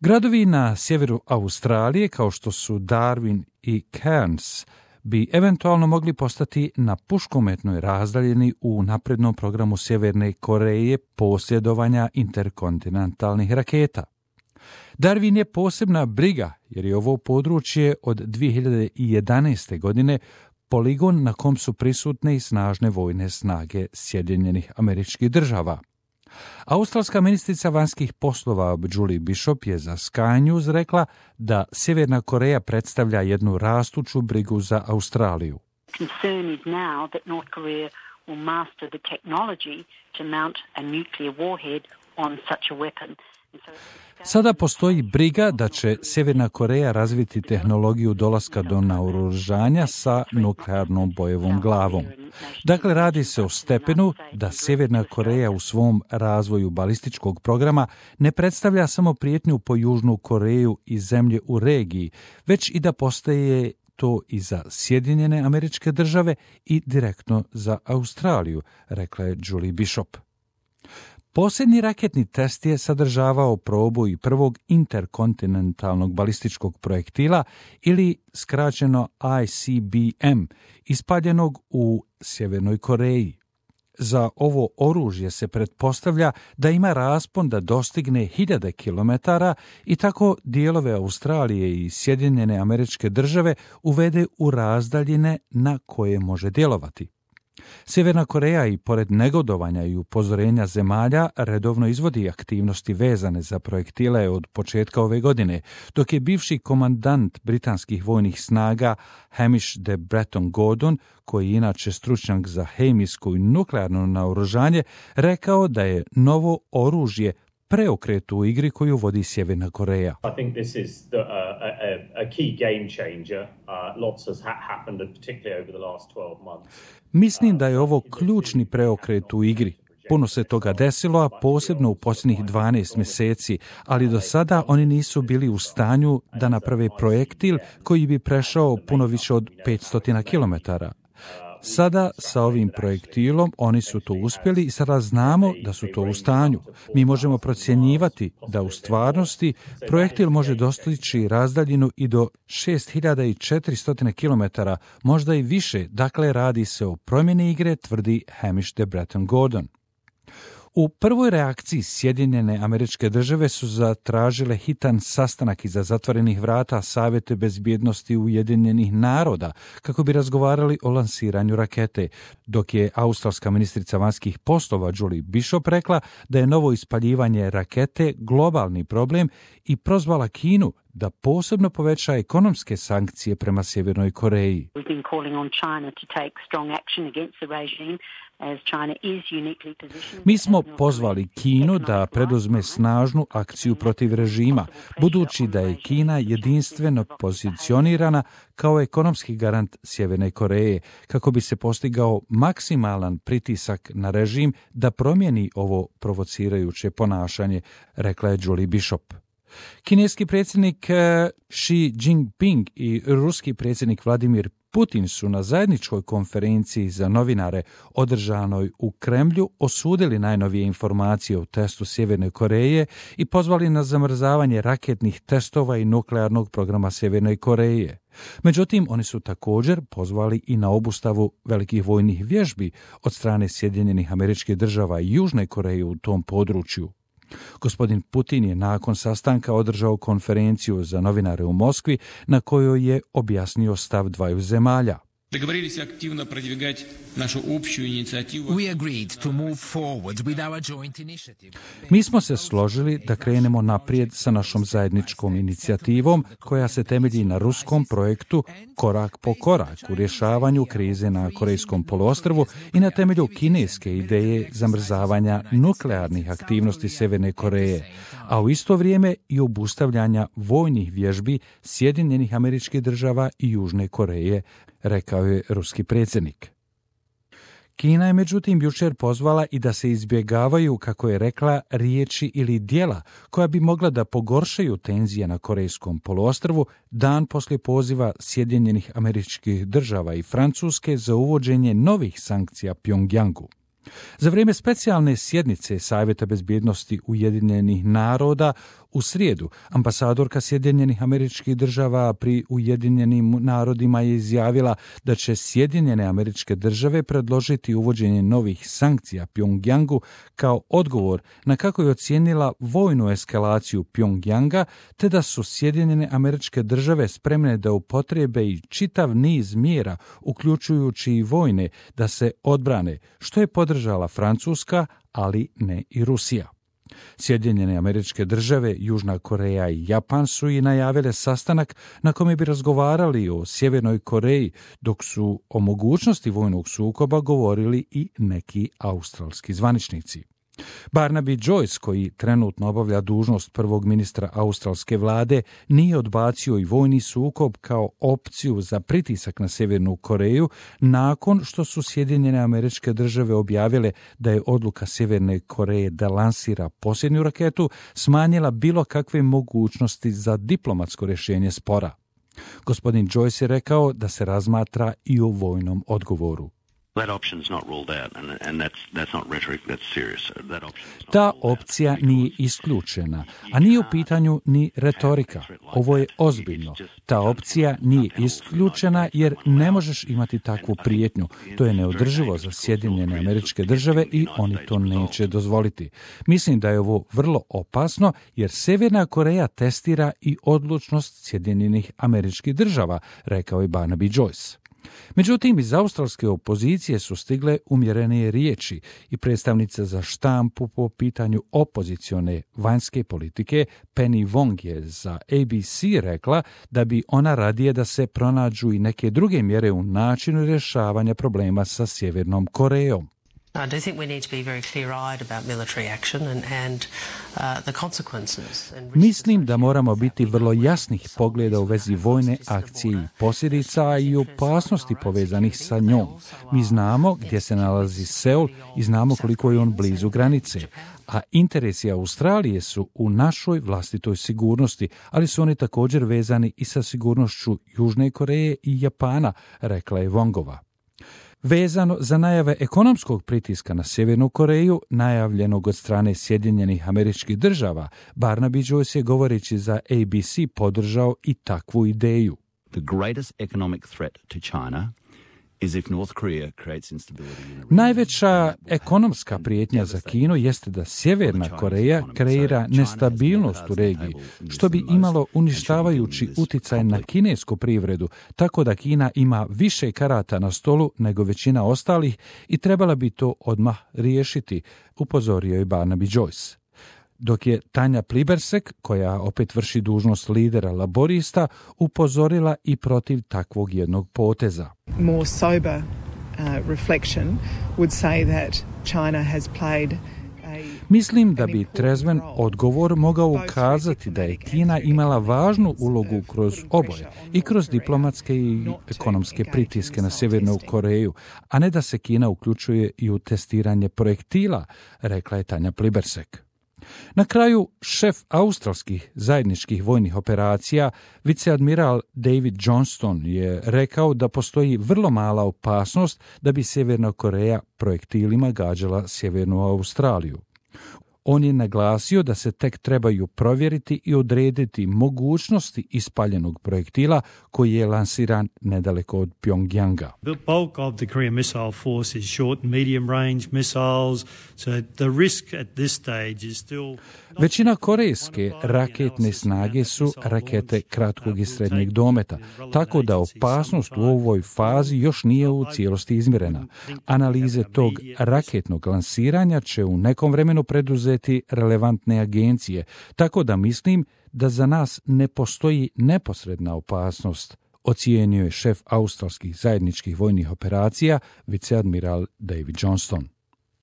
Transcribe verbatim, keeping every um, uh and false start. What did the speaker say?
Gradovi na sjeveru Australije, kao što su Darwin i Cairns, bi eventualno mogli postati na puškometnoj razdaljini u naprednom programu Sjeverne Koreje posjedovanja interkontinentalnih raketa. Darwin je posebna briga jer je ovo područje od dvije hiljade jedanaeste. godine poligon na kom su prisutne i snažne vojne snage Sjedinjenih Američkih Država. Australska ministrica vanjskih poslova Julie Bishop je za Sky News rekla da Sjeverna Koreja predstavlja jednu rastuću brigu za Australiju. Concern is now that North Korea will master the technology to mount a nuclear warhead on such a weapon. Sada postoji briga da će Sjeverna Koreja razviti tehnologiju dolaska do naoružanja sa nuklearnom bojevom glavom. Dakle, radi se o stepenu da Sjeverna Koreja u svom razvoju balističkog programa ne predstavlja samo prijetnju po Južnu Koreju i zemlje u regiji, već i da postaje to i za Sjedinjene Američke Države i direktno za Australiju, rekla je Julie Bishop. Posljednji raketni test je sadržavao probu i prvog interkontinentalnog balističkog projektila ili skraćeno I C B M, ispaljenog u Sjevernoj Koreji. Za ovo oružje se pretpostavlja da ima raspon da dostigne hiljade kilometara i tako dijelove Australije i Sjedinjene Američke Države uvede u razdaljine na koje može djelovati. Sjeverna Koreja i pored negodovanja i upozorenja zemalja redovno izvodi aktivnosti vezane za projektile od početka ove godine, dok je bivši komandant britanskih vojnih snaga Hamish de Bretton Gordon, koji je inače stručnjak za hemijsko i nuklearno naoružanje, rekao da je novo oružje preokret u igri koju vodi Sjeverna Koreja. I think this is the, uh, a, a key game changer. Uh, lots has ha- happened, particularly over the last twelve months. Mislim da je ovo ključni preokret u igri. Puno se toga desilo, a posebno u posljednjih dvanaest mjeseci, ali do sada oni nisu bili u stanju da naprave projektil koji bi prešao puno više od petsto kilometara. Sada sa ovim projektilom oni su to uspjeli i sada znamo da su to u stanju. Mi možemo procjenjivati da u stvarnosti projektil može dostići razdaljinu i do šest hiljada četiristo kilometara, možda i više, dakle radi se o promjeni igre, tvrdi Hamish de Bretton Gordon. U prvoj reakciji Sjedinjene Američke Države su zatražile hitan sastanak iza zatvorenih vrata Savjeta bezbjednosti Ujedinjenih naroda kako bi razgovarali o lansiranju rakete, dok je australska ministrica vanjskih poslova Julie Bishop rekla da je novo ispaljivanje rakete globalni problem i prozvala Kinu da posebno poveća ekonomske sankcije prema Sjevernoj Koreji. Mi smo pozvali Kinu da preduzme snažnu akciju protiv režima, budući da je Kina jedinstveno pozicionirana kao ekonomski garant Sjeverne Koreje, kako bi se postigao maksimalan pritisak na režim da promijeni ovo provocirajuće ponašanje, rekla je Julie Bishop. Kineski predsjednik Xi Jinping i ruski predsjednik Vladimir Putin su na zajedničkoj konferenciji za novinare održanoj u Kremlju osudili najnovije informacije o testu Sjeverne Koreje i pozvali na zamrzavanje raketnih testova i nuklearnog programa Sjeverne Koreje. Međutim, oni su također pozvali i na obustavu velikih vojnih vježbi od strane Sjedinjenih Američkih Država i Južne Koreje u tom području. Gospodin Putin je nakon sastanka održao konferenciju za novinare u Moskvi na kojoj je objasnio stav dvaju zemalja. Договорились активно продвигать нашу общую инициативу. We agreed to move forward with our joint initiative. Mi smo se složili da krenemo naprijed sa našom zajedničkom inicijativom koja se temelji na ruskom projektu korak po korak u rješavanju krize na Korejskom poluostrvu i na temelju kineske ideje zamrzavanja nuklearnih aktivnosti Sjeverne Koreje, a u isto vrijeme i obustavljanja vojnih vježbi Sjedinjenih Američkih Država i Južne Koreje, rekao je ruski predsjednik. Kina je međutim jučer pozvala i da se izbjegavaju, kako je rekla, riječi ili djela koja bi mogla da pogoršaju tenzije na Korejskom poluostrvu dan poslije poziva Sjedinjenih Američkih Država i Francuske za uvođenje novih sankcija Pjongjangu. Za vrijeme specijalne sjednice Savjeta bezbjednosti Ujedinjenih naroda U srijedu, ambasadorka Sjedinjenih Američkih Država pri Ujedinjenim narodima je izjavila da će Sjedinjene Američke Države predložiti uvođenje novih sankcija Pjongjangu kao odgovor na kako je ocijenila vojnu eskalaciju Pjongjanga, te da su Sjedinjene Američke Države spremne da upotrebe i čitav niz mjera, uključujući i vojne, da se odbrane, što je podržala Francuska, ali ne i Rusija. Sjedinjene Američke Države, Južna Koreja i Japan su i najavile sastanak na kome bi razgovarali o Sjevernoj Koreji, dok su o mogućnosti vojnog sukoba govorili i neki australski zvaničnici. Barnaby Joyce, koji trenutno obavlja dužnost prvog ministra australske vlade, nije odbacio i vojni sukob kao opciju za pritisak na Sjevernu Koreju nakon što su Sjedinjene Američke Države objavile da je odluka Sjeverne Koreje da lansira posljednju raketu smanjila bilo kakve mogućnosti za diplomatsko rješenje spora. Gospodin Joyce je rekao da se razmatra i o vojnom odgovoru. Ta opcija nije isključena, a nije u pitanju ni retorika. Ovo je ozbiljno. Ta opcija nije isključena jer ne možeš imati takvu prijetnju. To je neodrživo za Sjedinjene Američke Države i oni to neće dozvoliti. Mislim da je ovo vrlo opasno jer Sjeverna Koreja testira i odlučnost Sjedinjenih Američkih Država, rekao je Barnaby Joyce. Međutim, iz australske opozicije su stigle umjerenije riječi i predstavnica za štampu po pitanju opozicione vanjske politike Penny Wong je za A B C rekla da bi ona radije da se pronađu i neke druge mjere u načinu rješavanja problema sa Sjevernom Korejom. I do think we need to be very clear-eyed about military action and, and uh, the consequences. Mislim da moramo biti vrlo jasnih pogleda u vezi vojne akcije i posljedica i opasnosti povezanih sa njom. Mi znamo gdje se nalazi Seul i znamo koliko je on blizu granice. A interesi Australije su u našoj vlastitoj sigurnosti, ali su oni također vezani i sa sigurnošću Južne Koreje i Japana, rekla je Wongova. Vezano za najave ekonomskog pritiska na Sjevernu Koreju, najavljenog od strane Sjedinjenih Američkih Država, Barnaby Joyce je govoreći za A B C podržao i takvu ideju. The greatest economic threat to China is if North Korea creates instability in the region. Najveća ekonomska prijetnja za Kinu jeste da Sjeverna Koreja kreira nestabilnost u regiji, što bi imalo uništavajući utjecaj na kinesku privredu, tako da Kina ima više karata na stolu nego većina ostalih i trebala bi to odmah riješiti, upozorio je Barnaby Joyce. Dok je Tanja Plibersek, koja opet vrši dužnost lidera laborista, upozorila i protiv takvog jednog poteza. More sober uh, reflection would say that China has played Mislim da bi trezven odgovor mogao ukazati da je Kina imala važnu ulogu kroz oboje, i kroz diplomatske i ekonomske pritiske na Sjevernu Koreju, a ne da se Kina uključuje i u testiranje projektila, rekla je Tanja Plibersek. Na kraju, šef australskih zajedničkih vojnih operacija, viceadmiral David Johnston, je rekao da postoji vrlo mala opasnost da bi Sjeverna Koreja projektilima gađala Sjevernu Australiju. On je naglasio da se tek trebaju provjeriti i odrediti mogućnosti ispaljenog projektila koji je lansiran nedaleko od Pjongjanga. The bulk of the Korean Missile Force is short and medium range missiles, so the risk at this stage is still... Većina korejske raketne snage su rakete kratkog i srednjeg dometa, tako da opasnost u ovoj fazi još nije u cijelosti izmjerena. Analize tog raketnog lansiranja će u nekom vremenu preduzeti relevantne agencije, tako da mislim da za nas ne postoji neposredna opasnost, ocijenio je šef australskih zajedničkih vojnih operacija, viceadmiral David Johnston.